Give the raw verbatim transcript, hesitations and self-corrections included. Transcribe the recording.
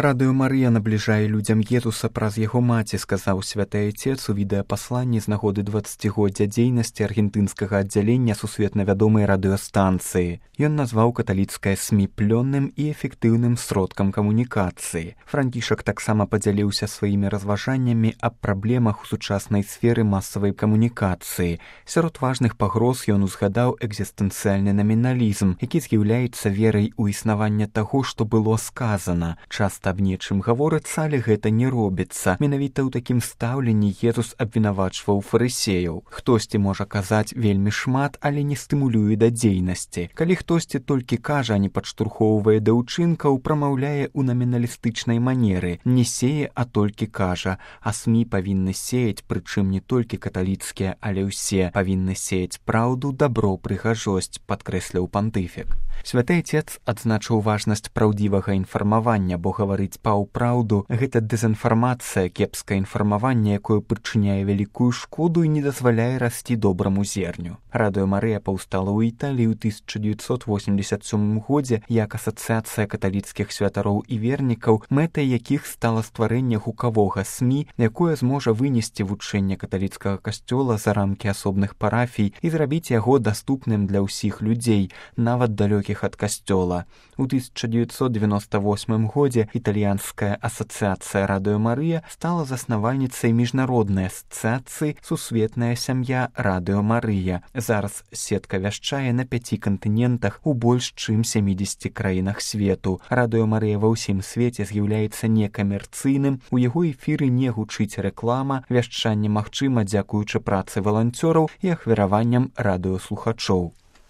Радыё Марыя набліжае людзям Езуса праз яго маці, сказаў святы айцец у відэапасланні з нагоды дваццацігоддзя дзейнасці аргентынскага аддзялення сусветна вядомай радыёстанцыі. Ён назваў каталіцкае СМІ плённым і эфектыўным сродкам камунікацыі. Францішак таксама падзяліўся сваімі разважаннямі аб праблемах у сучаснай сферы масавай камунікацыі. Сярод важных пагроз ён узгадаў экзістэнцыяльны наміналізм, які з'яўляецца верай у існаванне таго, што было сказана. Часта аб нечым гаворыцца, але гэта не робіцца. Менавіта ў такім стаўленні Езус абвінавачваў фарысеяў. Хтосьці можа казаць вельмі шмат, але не стымулюе да дзейнасці. Калі хтосьці толькі кажа, а не падштурхоўвае да ўчынкаў, прамаўляе ў наміналістычнай манеры. Не сее, а толькі кажа. А СМІ павінны сеяць, прычым не толькі каталіцкія, але ўсе. Павінны сеяць праўду, дабро, прыгажосць, падкрэсліў пантыфік. Святы айцец адзначыў важнасць праўдзівага інфармавання, бо гаварыць паўпраўду — гэта дэзінфармацыя, кепскае інфармаванне, якое прычыняе вялікую шкоду і не дазваляе расці добраму зерню. Радыё Марыя паўстала ў Італіі ў тысяча дзевяцьсот восемдзесят сёмым годзе як асацыяцыя каталіцкіх святароў і вернікаў, мэтай якіх стала стварэнне гукавога СМІ, якое зможа вынесці вучэнне каталіцкага касцёла за рамкі асобных парафій і зрабіць яго даступным для ўсіх людзей, нават далёкіх ад касцёла. У тысяча дзевяцьсот девяносто восьмым годзе італьянская асацыяцыя Радыё Марыя стала заснавальніцай міжнароднай асацыяцыі «Сусветная сям'я Радыё Марыя». Зараз сетка вяшчае на пяці кантынентах у больш чым сямідзесяці краінах свету. Радыё Марыя ва ўсім свеце з'яўляецца некамерцыйным, у яго эфіры не гучыць рэклама, вяшчанне магчыма дзякуючы працы валанцёраў і ахвяраванням радыёслухачоў.